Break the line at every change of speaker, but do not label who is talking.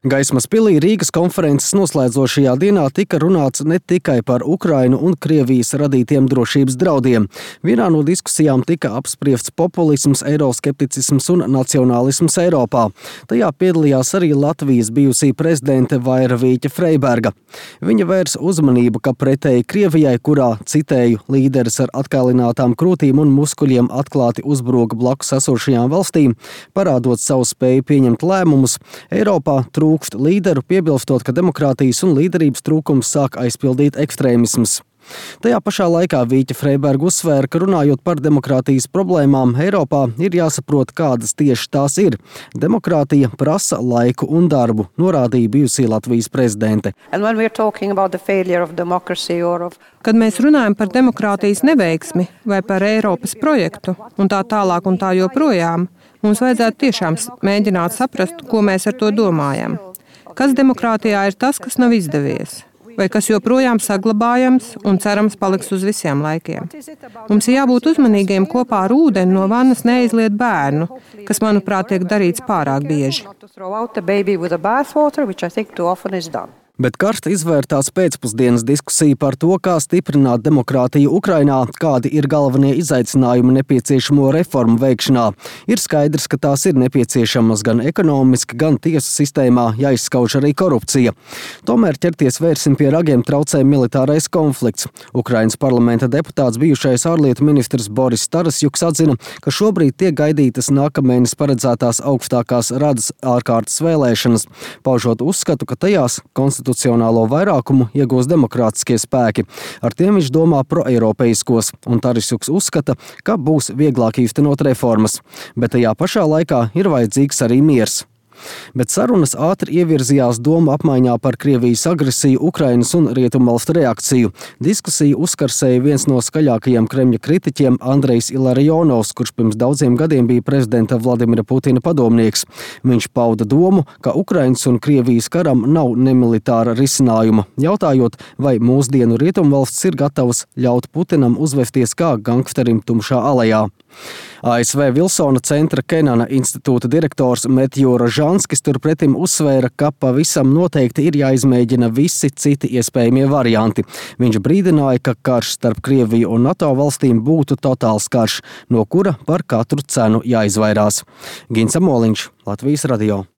Gaismas pilī Rīgas konferences noslēdzošajā dienā tika runāts ne tikai par Ukrainu un Krievijas radītiem drošības draudiem. Vienā no diskusijām tika apspriests populisms, eiroskepticisms un nacionālisms Eiropā. Tajā piedalījās arī Latvijas bijusī prezidente Vaira Vīķa Freiberga. Viņa vērs uzmanību, ka pretēji Krievijai, kurā, citēju, līderis ar atkailinātām krūtīm un muskuļiem atklāti uzbruka blakus esošajām valstīm, parādot savu spēju pieņemt lēmumus, Eiropā trūkst līderu, piebilstot, ka demokrātijas un līderības trūkums sāk aizpildīt ekstrēmisms. Tajā pašā laikā Vīķa Freiberga uzsvēra, ka runājot par demokrātijas problēmām, Eiropā ir jāsaprot, kādas tieši tās ir. Demokrātija prasa laiku un darbu, norādīja bijusī Latvijas prezidente.
Kad mēs runājam par demokrātijas neveiksmi vai par Eiropas projektu un tā tālāk un tā joprojām, mums vajadzētu tiešām mēģināt saprast, ko mēs ar to domājam. Kas demokrātijā ir tas, kas nav izdevies? Vai kas joprojām saglabājams un cerams paliks uz visiem laikiem. Mums ir jābūt uzmanīgiem kopā ar ūdeni no vannas neizliet bērnu, kas, manuprāt, tiek darīts pārāk bieži.
Bet karsti izvērtās pēcpusdienas diskusija par to, kā stiprināt demokrātiju Ukrainā, kādi ir galvenie izaicinājumi nepieciešamo reformu veikšanā. Ir skaidrs, ka tās ir nepieciešamas gan ekonomiski, gan tiesu sistēmā, jāizskauž arī korupcija. Tomēr ķerties vērsim pie ragiem traucē militārais konflikts. Ukrainas parlamenta deputāts bijušais ārlietu ministrs Boris Tarasjuks atzina, ka šobrīd tiek gaidītas nākamēnes paredzētās augstākās radas ārkārtas vēlēšanas, paužot uzskatu, ka tajās konstitucionālo vairākumu iegūs demokrātiskie spēki. Ar tiem viņš domā proeiropeiskos, un Tarasjuks uzskata, ka būs vieglāk īstenot reformas. Bet tajā pašā laikā ir vajadzīgs arī miers. Bet sarunas ātri ievirzījās domu apmaiņā par Krievijas agresiju, Ukrainas un rietumvalstu reakciju. Diskusiju uzkarsēja viens no skaļākajiem Kremļa kritiķiem Andrejs Ilarionovs, kurš pirms daudziem gadiem bija prezidenta Vladimira Putina padomnieks. Viņš pauda domu, ka Ukrainas un Krievijas karam nav nemilitāra risinājuma, jautājot, vai mūsdienu rietumvalsts ir gatavas ļaut Putinam uzvesties kā gangsterim tumšā alejā. ASV Vilsona centra Kenana institūta direktors Metju Rožanskis turpretim uzsvēra, ka pavisam noteikti ir jāizmēģina visi citi iespējamie varianti. Viņš brīdināja, ka karš starp Krieviju un NATO valstīm būtu totāls karš, no kura par katru cenu jāizvairās. Gins Amoliņš, Latvijas radio.